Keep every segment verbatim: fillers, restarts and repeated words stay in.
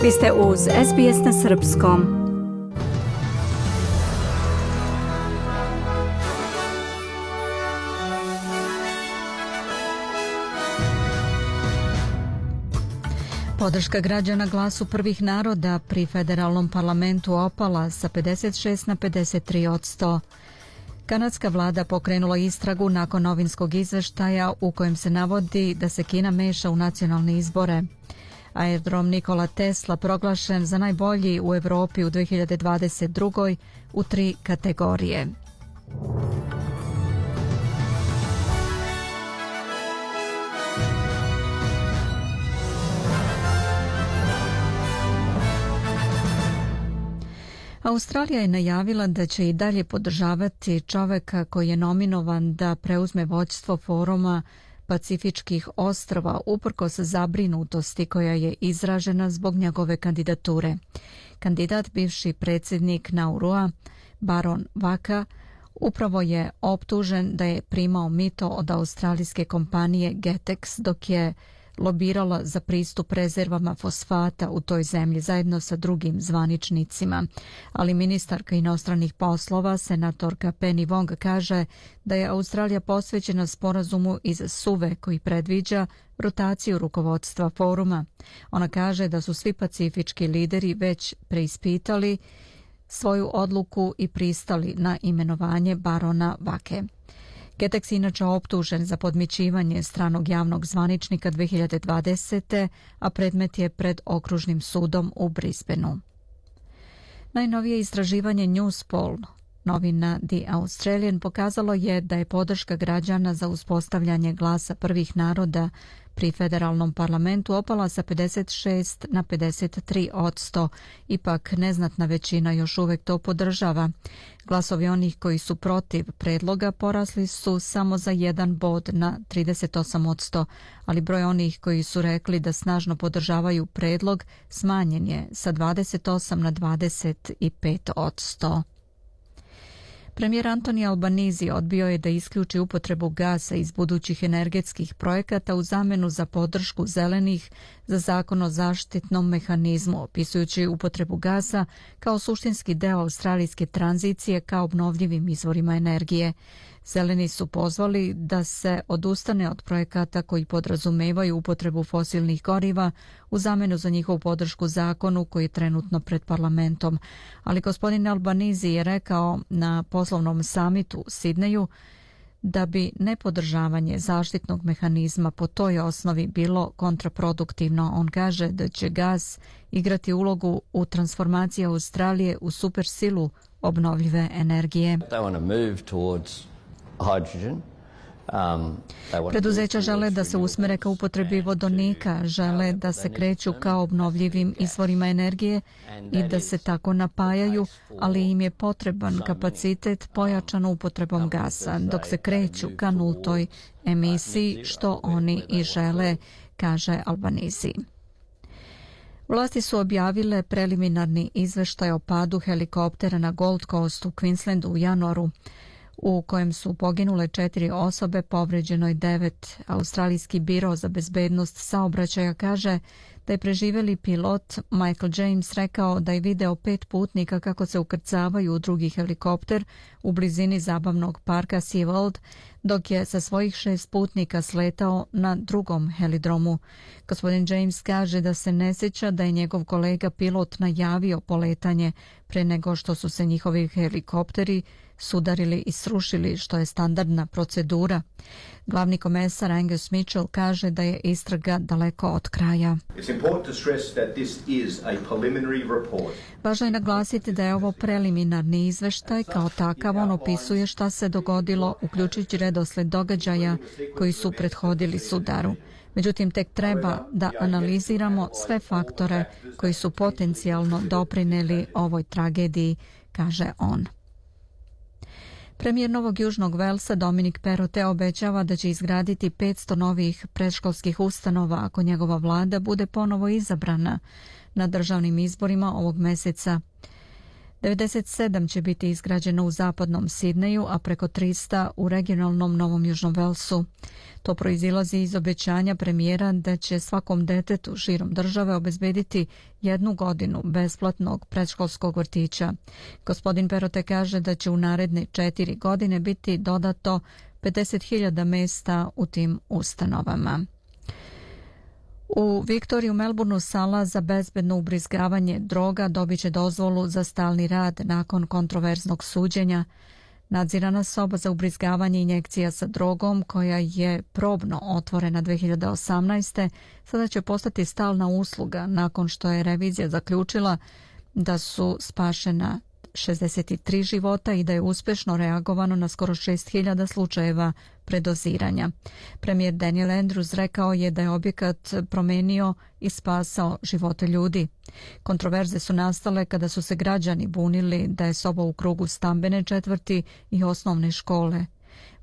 Vi ste uz S B S na srpskom. Podrška građana Glasu prvih naroda pri federalnom parlamentu opala sa pedeset šest na pedeset tri posto. Kanadska vlada pokrenula istragu nakon novinskog izveštaja u kojem se navodi da se Kina meša u nacionalne izbore. Aerodrom Nikola Tesla proglašen za najbolji u Evropi u dve hiljade dvadeset drugoj u tri kategorije. Australija je najavila da će i dalje podržavati čoveka koji je nominovan da preuzme vođstvo foruma Pacifičkih ostrva uprkos zabrinutosti koja je izražena zbog njegove kandidature. Kandidat, bivši predsjednik Naurua, Baron Vaka, upravo je optužen da je primao mito od australijske kompanije Getex dok je lobirala za pristup rezervama fosfata u toj zemlji zajedno sa drugim zvaničnicima. Ali ministarka inostranih poslova, senatorka Penny Wong, kaže da je Australija posvećena sporazumu iz Suve koji predviđa rotaciju rukovodstva foruma. Ona kaže da su svi pacifički lideri već preispitali svoju odluku i pristali na imenovanje barona Vake. Getex inače optužen za podmićivanje stranog javnog zvaničnika dve hiljade dvadesete. a predmet je pred okružnim sudom u Brisbaneu. Najnovije istraživanje Newspoll, novina The Australian, pokazalo je da je podrška građana za uspostavljanje Glasa prvih naroda pri federalnom parlamentu opala sa pedeset šest na pedeset tri posto. Ipak neznatna većina još uvek to podržava. Glasovi onih koji su protiv predloga porasli su samo za jedan bod na trideset osam posto, ali broj onih koji su rekli da snažno podržavaju predlog smanjen je sa dvadeset osam na dvadeset pet posto. Premijer Anthony Albanese odbio je da isključi upotrebu gasa iz budućih energetskih projekata u zamenu za podršku zelenih za zakon o zaštitnom mehanizmu, opisujući upotrebu gasa kao suštinski deo australijske tranzicije ka obnovljivim izvorima energije. Zeleni su pozvali da se odustane od projekata koji podrazumevaju upotrebu fosilnih goriva u zamenu za njihovu podršku zakonu koji je trenutno pred parlamentom. Ali gospodin Albanese je rekao na poslovnom samitu u Sidneju da bi nepodržavanje zaštitnog mehanizma po toj osnovi bilo kontraproduktivno. On kaže da će gas igrati ulogu u transformaciji Australije u supersilu obnovljive energije. Preduzeća žele da se usmere ka upotrebi vodonika, žele da se kreću ka obnovljivim izvorima energije i da se tako napajaju, ali im je potreban kapacitet pojačan upotrebom gasa, dok se kreću ka nultoj emisiji, što oni i žele, kaže Albanese. Vlasti su objavile preliminarni izveštaj o padu helikoptera na Gold Coast u Queenslandu u januaru, u kojem su poginule četiri osobe, povređeno je devet. Australijski biro za bezbednost saobraćaja kaže da je preživjeli pilot Michael James rekao da je video pet putnika kako se ukrcavaju u drugi helikopter u blizini zabavnog parka SeaWorld, dok je sa svojih šest putnika sletao na drugom helidromu. Gospodin James kaže da se ne sjeća da je njegov kolega pilot najavio poletanje pre nego što su se njihovi helikopteri sudarili i srušili, što je standardna procedura. Glavni komesar Angus Mitchell kaže da je istraga daleko od kraja. Važno je naglasiti da je ovo preliminarni izveštaj, kao takav on opisuje šta se dogodilo, uključujući redosled događaja koji su prethodili sudaru. Međutim, tek treba da analiziramo sve faktore koji su potencijalno doprineli ovoj tragediji, kaže on. Premijer Novog Južnog Velsa Dominic Perrottet obećava da će izgraditi petsto novih predškolskih ustanova ako njegova vlada bude ponovo izabrana na državnim izborima ovog meseca. devedeset sedam će biti izgrađeno u zapadnom Sidneju, a preko tristo u regionalnom Novom Južnom Velsu. To proizilazi iz obećanja premijera da će svakom detetu širom države obezbediti jednu godinu besplatnog predškolskog vrtića. Gospodin Perote kaže da će u naredne četiri godine biti dodato pedeset hiljada mesta u tim ustanovama. U Viktoriji u Melbourneu sala za bezbedno ubrizgavanje droga dobit će dozvolu za stalni rad nakon kontroverznog suđenja. Nadzirana soba za ubrizgavanje injekcija sa drogom, koja je probno otvorena dve hiljade osamnaeste. sada će postati stalna usluga nakon što je revizija zaključila da su spašena šezdeset tri života i da je uspešno reagovano na skoro šest hiljada slučajeva predoziranja. Premijer Daniel Andrews rekao je da je objekat promenio i spasao živote ljudi. Kontroverze su nastale kada su se građani bunili da je soba u krugu stambene četvrti i osnovne škole.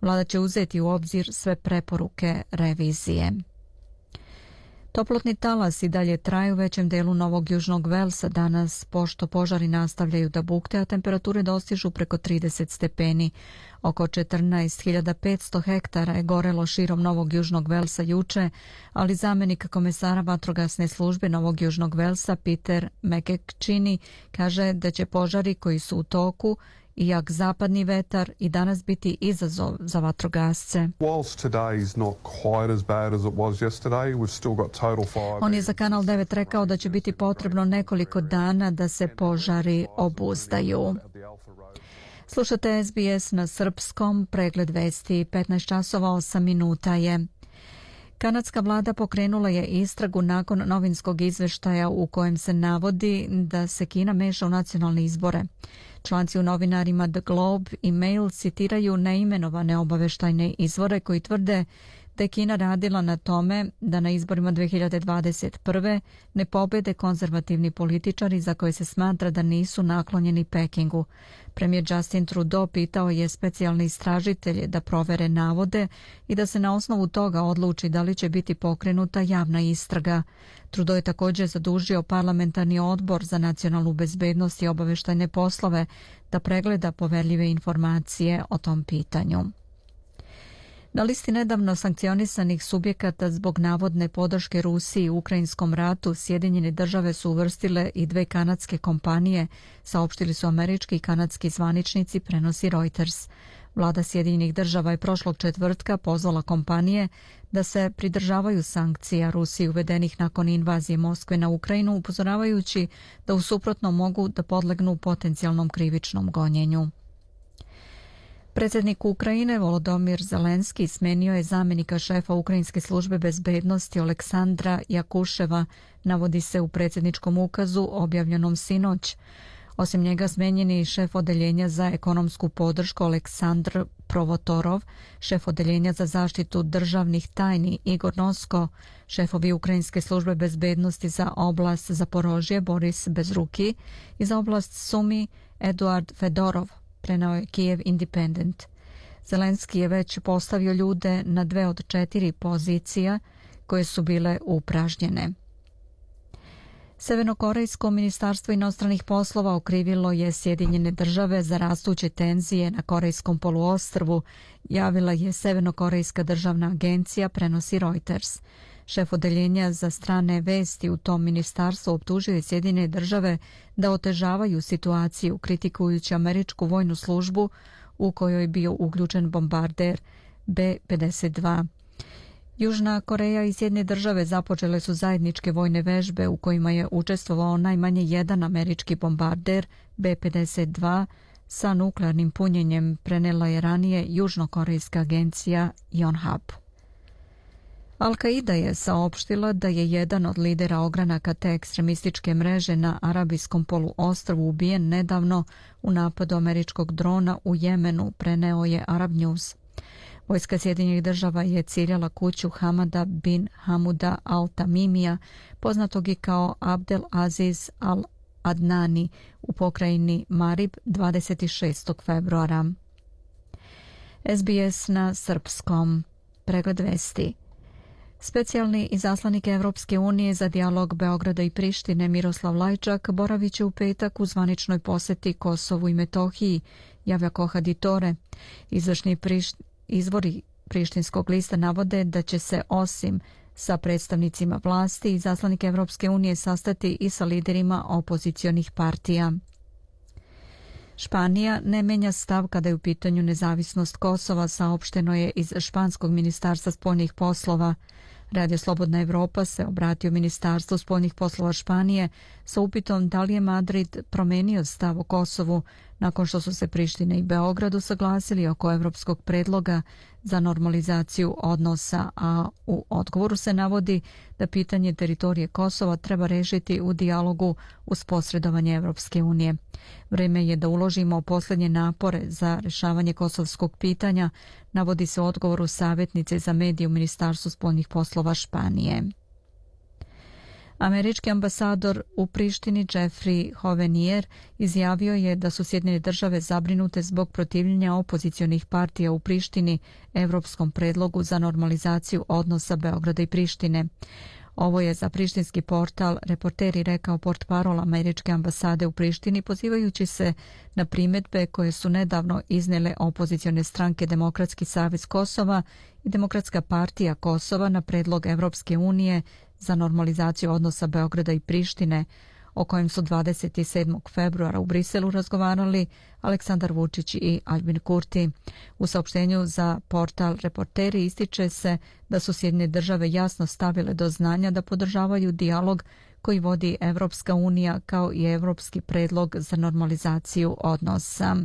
Vlada će uzeti u obzir sve preporuke revizije. Toplotni talas i dalje traju u većem delu Novog Južnog Velsa danas, pošto požari nastavljaju da bukte, a temperature dostižu preko trideset stepeni. Oko četrnaest hiljada petsto hektara je gorelo širom Novog Južnog Velsa juče, ali zamenik komesara vatrogasne službe Novog Južnog Velsa Peter McEachnie kaže da će požari koji su u toku i jak zapadni vetar i danas biti izazov za vatrogasce. On je za Kanal devet rekao da će biti potrebno nekoliko dana da se požari obuzdaju. Slušate S B S na srpskom, pregled vesti, petnaest časova osam minuta je. Kanadska vlada pokrenula je istragu nakon novinskog izveštaja u kojem se navodi da se Kina meša u nacionalne izbore. Članci u novinarima The Globe i Mail citiraju neimenovane obaveštajne izvore koji tvrde da je Kina radila na tome da na izborima dve hiljade dvadeset prve ne pobede konzervativni političari za koje se smatra da nisu naklonjeni Pekingu. Premijer Justin Trudeau pitao je specijalne istražitelje da provere navode i da se na osnovu toga odluči da li će biti pokrenuta javna istraga. Trudeau je također zadužio parlamentarni odbor za nacionalnu bezbednost i obaveštajne poslove da pregleda poverljive informacije o tom pitanju. Na listi nedavno sankcionisanih subjekata zbog navodne podrške Rusiji u ukrajinskom ratu Sjedinjene države su uvrstile i dve kanadske kompanije, saopštili su američki i kanadski zvaničnici, prenosi Reuters. Vlada Sjedinjenih država je prošlog četvrtka pozvala kompanije da se pridržavaju sankcija Rusiji uvedenih nakon invazije Moskve na Ukrajinu, upozoravajući da u suprotnom mogu da podlegnu potencijalnom krivičnom gonjenju. Predsjednik Ukrajine Volodymyr Zelenski smenio je zamjenika šefa Ukrajinske službe bezbednosti Oleksandra Jakuševa, navodi se u predsjedničkom ukazu objavljenom sinoć. Osim njega smenjen je i šef odeljenja za ekonomsku podršku Aleksandr Provotorov, šef odeljenja za zaštitu državnih tajni Igor Nosko, šefovi Ukrajinske službe bezbednosti za oblast Zaporožje Boris Bezruki i za oblast Sumi Eduard Fedorov, preneo je Kijev Independent. Zelenski je već postavio ljude na dve od četiri pozicija koje su bile upražnjene. Severnokorejsko ministarstvo inostranih poslova okrivilo je Sjedinjene države za rastuće tenzije na Korejskom poluostrvu, javila je Severnokorejska državna agencija, prenosi Reuters. Šef odeljenja za strane vesti u tom ministarstvu optužio je Sjedinjene države da otežavaju situaciju, kritikujući američku vojnu službu u kojoj je bio uključen bombarder B pedeset dva. Južna Koreja i Sjedinjene države započele su zajedničke vojne vežbe u kojima je učestvovao najmanje jedan američki bombarder B pedeset dva sa nuklearnim punjenjem, prenela je ranije južnokorejska agencija Yonhap. Al-Qaida je saopštila da je jedan od lidera ogranaka te ekstremističke mreže na Arabijskom poluostrvu ubijen nedavno u napadu američkog drona u Jemenu, preneo je Arab News. Vojska Sjedinjenih država je ciljala kuću Hamada bin Hamuda al-Tamimija, poznatog i kao Abdel Aziz al-Adnani, u pokrajini Marib dvadeset šestog februara. S B S na srpskom, pregled vesti. Specijalni izaslanik Evropske unije za dijalog Beograda i Prištine Miroslav Lajčak boravit će u petak u zvaničnoj poseti Kosovu i Metohiji, javlja Kohaditore. Izvršni priš... izvori prištinskog lista navode da će se osim sa predstavnicima vlasti izaslanik Evropske unije sastati i sa liderima opozicionih partija. Španija ne menja stav kada je u pitanju nezavisnost Kosova, saopšteno je iz Španskog ministarstva spoljnih poslova. Radio Slobodna Evropa se obratio Ministarstvu spoljnih poslova Španije sa upitom da li je Madrid promenio stav o Kosovu nakon što su se Priština i Beograd usaglasili oko evropskog predloga za normalizaciju odnosa, a u odgovoru se navodi da pitanje teritorije Kosova treba rešiti u dijalogu uz posredovanje Evropske unije. Vreme je da uložimo posljednje napore za rešavanje kosovskog pitanja, navodi se u odgovoru savjetnice za medije u Ministarstvu spoljnih poslova Španije. Američki ambasador u Prištini Jeffrey Hovenier izjavio je da su Sjedinjene države zabrinute zbog protivljenja opozicionih partija u Prištini evropskom predlogu za normalizaciju odnosa Beograda i Prištine. Ovo je za prištinski portal Reporteri rekao portparol američke ambasade u Prištini, pozivajući se na primjedbe koje su nedavno iznijele opozicione stranke Demokratski savez Kosova i Demokratska partija Kosova na predlog Evropske unije za normalizaciju odnosa Beograda i Prištine, o kojem su dvadeset sedmog februara u Briselu razgovarali Aleksandar Vučić i Aljbin Kurti. U saopštenju za portal Reporteri ističe se da su Sjedinjene države jasno stavile do znanja da podržavaju dijalog koji vodi Evropska unija kao i evropski predlog za normalizaciju odnosa.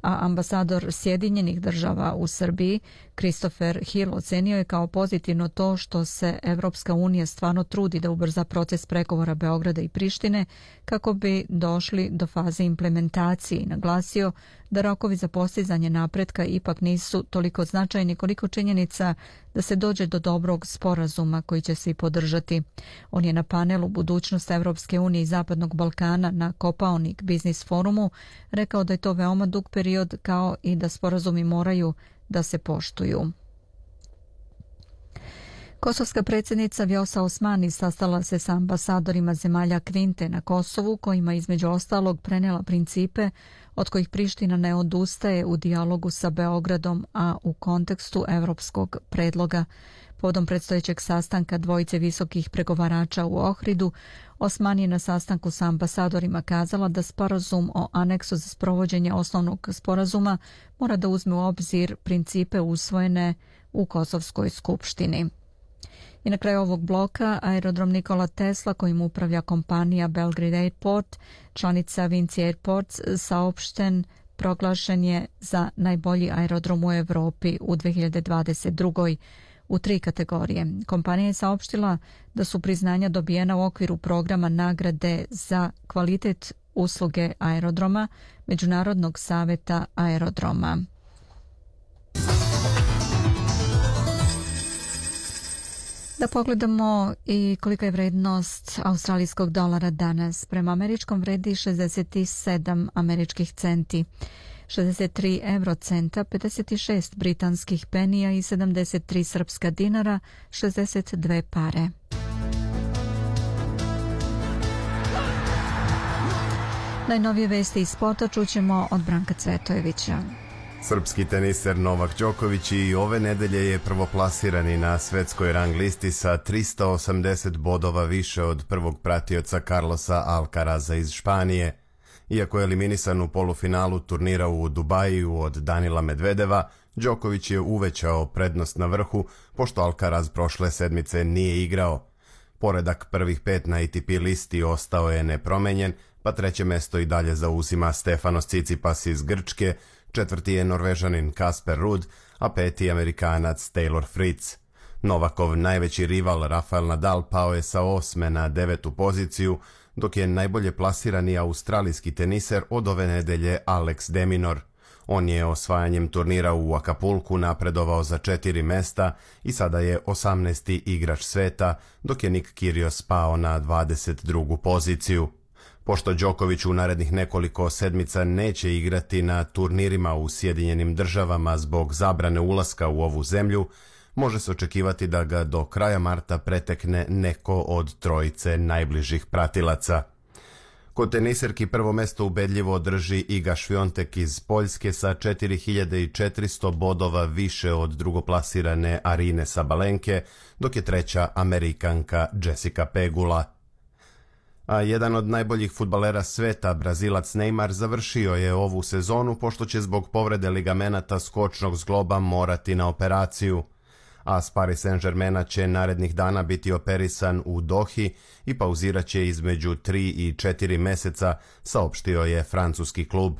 A ambasador Sjedinjenih država u Srbiji Christopher Hill ocenio je kao pozitivno to što se Evropska unija stvarno trudi da ubrza proces pregovora Beograda i Prištine kako bi došli do faze implementacije i naglasio da rokovi za postizanje napretka ipak nisu toliko značajni koliko činjenica da se dođe do dobrog sporazuma koji će svi podržati. On je na panelu Budućnost Evropske unije i Zapadnog Balkana na Kopaonik Biznis forumu rekao da je to veoma dug period kao i da sporazumi moraju da se poštuju. Kosovska predsjednica Vjosa Osmani sastala se sa ambasadorima zemalja Kvinte na Kosovu, kojima između ostalog prenijela principe od kojih Priština ne odustaje u dijalogu sa Beogradom, a u kontekstu evropskog predloga. Povodom predstojećeg sastanka dvojice visokih pregovarača u Ohridu, Osmani je na sastanku sa ambasadorima kazala da sporazum o aneksu za sprovođenje osnovnog sporazuma mora da uzme u obzir principe usvojene u Kosovskoj skupštini. I na kraju ovog bloka aerodrom Nikola Tesla, kojim upravlja kompanija Belgrade Airport, članica Vinci Airports, saopšten proglašen je za najbolji aerodrom u Evropi u dve hiljade dvadeset drugoj u tri kategorije. Kompanija je saopštila da su priznanja dobijena u okviru programa nagrade za kvalitet usluge aerodroma Međunarodnog saveta aerodroma. Da pogledamo i kolika je vrednost australijskog dolara danas. Prema američkom vredi šezdeset sedam američkih centi, šezdeset tri eurocenta, pedeset šest britanskih penija i sedamdeset tri srpska dinara, šezdeset dve pare. Najnovije vesti iz sporta čućemo od Branka Cvetojevića. Srpski teniser Novak Đoković i ove nedelje je prvoplasirani na svetskoj rang listi sa trista osamdeset bodova više od prvog pratioca Carlosa Alcaraza iz Španije. Iako je eliminisan u polufinalu turnira u Dubaju od Danila Medvedeva, Đoković je uvećao prednost na vrhu, pošto Alcaraz prošle sedmice nije igrao. Poredak prvih pet na A T P listi ostao je nepromenjen, pa treće mesto i dalje zauzima Stefanos Tsitsipas iz Grčke, četvrti je Norvežanin Kasper Ruud, a peti Amerikanac Taylor Fritz. Novakov najveći rival Rafael Nadal pao je sa osme na devetu poziciju, dok je najbolje plasirani australijski teniser od ove nedelje Alex de Minaur. On je osvajanjem turnira u Acapulcu napredovao za četiri mesta i sada je osamnaesti igrač sveta, dok je Nick Kyrgios pao na dvadeset drugu poziciju. Pošto Đoković u narednih nekoliko sedmica neće igrati na turnirima u Sjedinjenim državama zbog zabrane ulaska u ovu zemlju, može se očekivati da ga do kraja marta pretekne neko od trojice najbližih pratilaca. Kod teniserki prvo mesto ubedljivo drži Iga Šviontek iz Poljske sa četiri hiljade četiristo bodova više od drugoplasirane Arine Sabalenke, dok je treća Amerikanka Jessica Pegula. A jedan od najboljih fudbalera sveta, Brazilac Neymar, završio je ovu sezonu pošto će zbog povrede ligamenata skočnog zgloba morati na operaciju. A s Paris Saint-Germaina će narednih dana biti operisan u Dohi i pauzirat će između tri i četiri meseca, saopštio je francuski klub.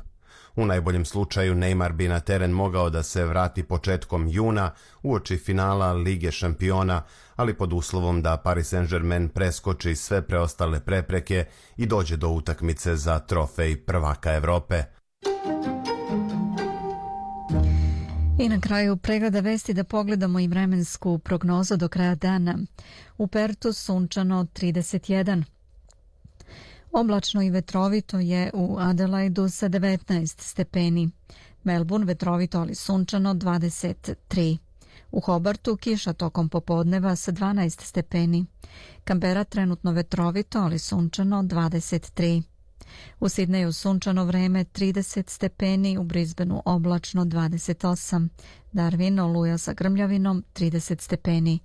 U najboljem slučaju Neymar bi na teren mogao da se vrati početkom juna uoči finala Lige šampiona, ali pod uslovom da Paris Saint-Germain preskoči sve preostale prepreke i dođe do utakmice za trofej prvaka Evrope. I na kraju pregleda vesti da pogledamo i vremensku prognozu do kraja dana. U Pertu sunčano trideset jedan. Oblačno i vetrovito je u Adelaidu sa devetnaest stepeni. Melbourne vetrovito ali sunčano dvadeset tri. U Hobartu kiša tokom popodneva sa dvanaest stepeni. Canberra trenutno vetrovito ali sunčano dvadeset tri. U Sidneju sunčano vreme trideset stepeni, u Brisbaneu oblačno dvadeset osam. Darwin oluja sa grmljavinom trideset stepeni.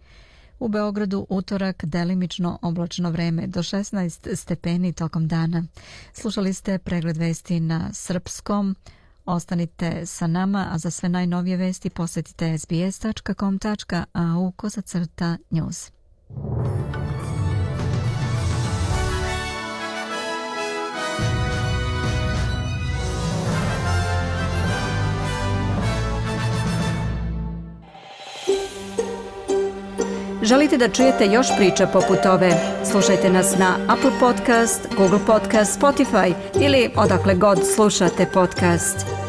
U Beogradu utorak delimično oblačno vreme do šesnaest stepeni tokom dana. Slušali ste pregled vesti na srpskom. Ostanite sa nama, a za sve najnovije vesti posjetite s b s tačka com tačka a u kozacrta news. Želite da čujete još priča poput ove? Slušajte nas na Apple Podcast, Google Podcast, Spotify ili odakle god slušate podcast.